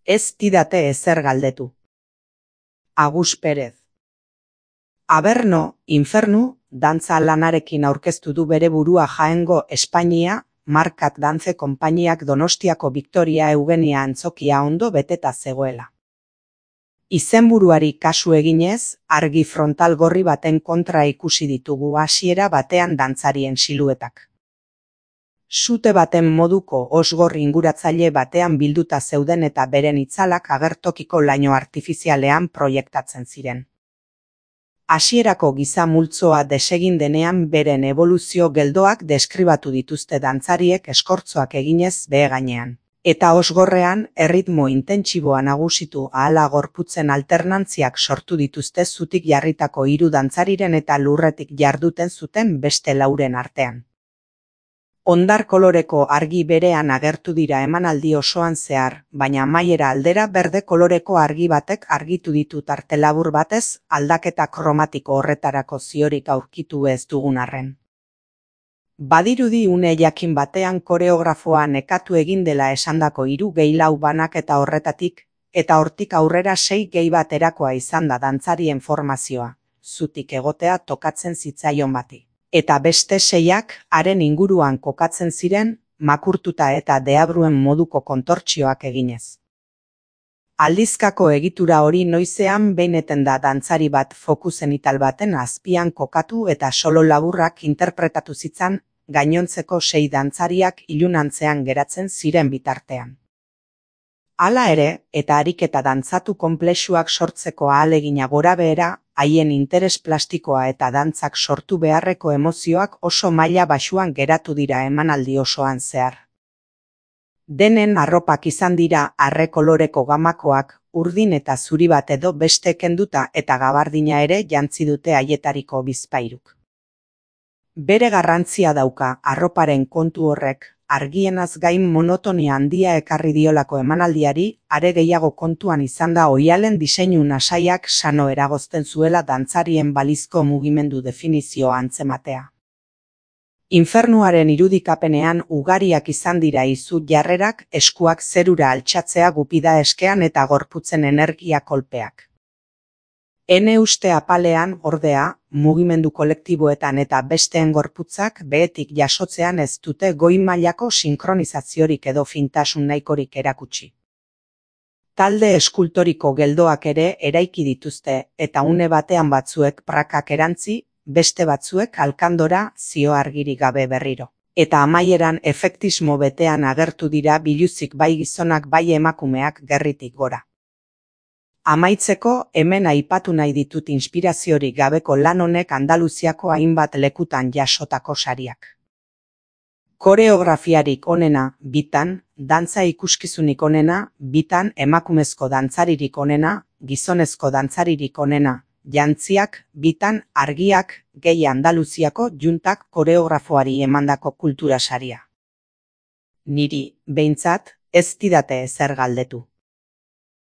Ez didate ezer galdetu. Agus Perez. Aberno, Infernu, dantza lanarekin aurkeztu du bere burua Jaengo Espainia, Markat Dance konpainiak Donostiako Victoria Eugenia antzokia ondo beteta zegoela. Izenburuari kasu eginez, argi frontal gorri baten kontra ikusi ditugu hasiera batean dantzarien siluetak. Sute baten moduko osgorri inguratzaile batean bilduta zeuden eta beren itzalak agertokiko laino artifizialean proiektatzen ziren. Hasierako giza multzoa desegin denean beren eboluzio geldoak deskribatu dituzte dantzariek eskortzoak eginez behe gainean. Eta osgorrean, erritmo intentsiboa nagusitu ahala gorputzen alternantziak sortu dituzte zutik jarritako 3 dantzariren eta lurretik jarduten zuten beste 4 artean. Hondar koloreko argi berean agertu dira emanaldi osoan zehar, baina amaiera aldera berde koloreko argi batek argitu ditu tarte labur batez aldaketa kromatiko horretarako ziorik aurkitu ez dugun arren. Badirudi une jakin batean koreografoa nekatu egin dela esandako 3 gehi 4 banaketa horretatik, eta hortik aurrera 6 gehi baterakoa izan da dantzarien formazioa, zutik egotea tokatzen zitzaion bati. Eta beste 6ak haren inguruan kokatzen ziren, makurtuta eta deabruen moduko kontortzioak eginez. Aldizkako egitura hori noizean behineten da dantzari bat foku zenital baten azpian kokatu eta solo laburrak interpretatu zitzan, gainontzeko 6 dantzariak ilunantzean geratzen ziren bitartean. Hala ere, eta ariketa dantzatu konplexuak sortzeko ahalegina gorabehera, haien interes plastikoa eta dantzak sortu beharreko emozioak oso maila baxuan geratu dira emanaldi osoan zehar. Denen arropak izan dira arre koloreko gamakoak, urdin eta zuri bat edo beste kenduta eta gabardina ere jantzi dute haietariko bizpairuk. Bere garrantzia dauka arroparen kontu horrek, argienaz gain monotonia handia ekarri diolako emanaldiari, are gehiago kontuan izan da oihalen diseinu nasaiak sano eragozten zuela dantzarien balizko mugimendu definizioa antzematea. Infernuaren irudikapenean ugariak izan dira izu jarrerak, eskuak zerura altxatzea gupida eskean eta gorputzen energia kolpeak. Ene uste apalean, ordea, mugimendu kolektiboetan eta besteen gorputzak behetik jasotzean ez dute goi mailako sinkronizaziorik edo fintasun nahikorik erakutsi. Talde eskultoriko geldoak ere eraiki dituzte eta une batean batzuek prakak erantzi, beste batzuek alkandora zio argirik gabe berriro. Eta amaieran efektismo betean agertu dira biluzik bai gizonak bai emakumeak gerritik gora. Amaitzeko, hemen aipatu nahi ditut inspiraziorik gabeko lan honek Andaluziako hainbat lekutan jasotako sariak. Koreografiarik onena, 2, dantza ikuskizunik onena, 2, emakumezko dantzaririk onena, gizonezko dantzaririk onena, jantziak, 2, argiak, gehi Andaluziako juntak koreografoari emandako kultura saria. Niri, behintzat, ez didate ezer galdetu.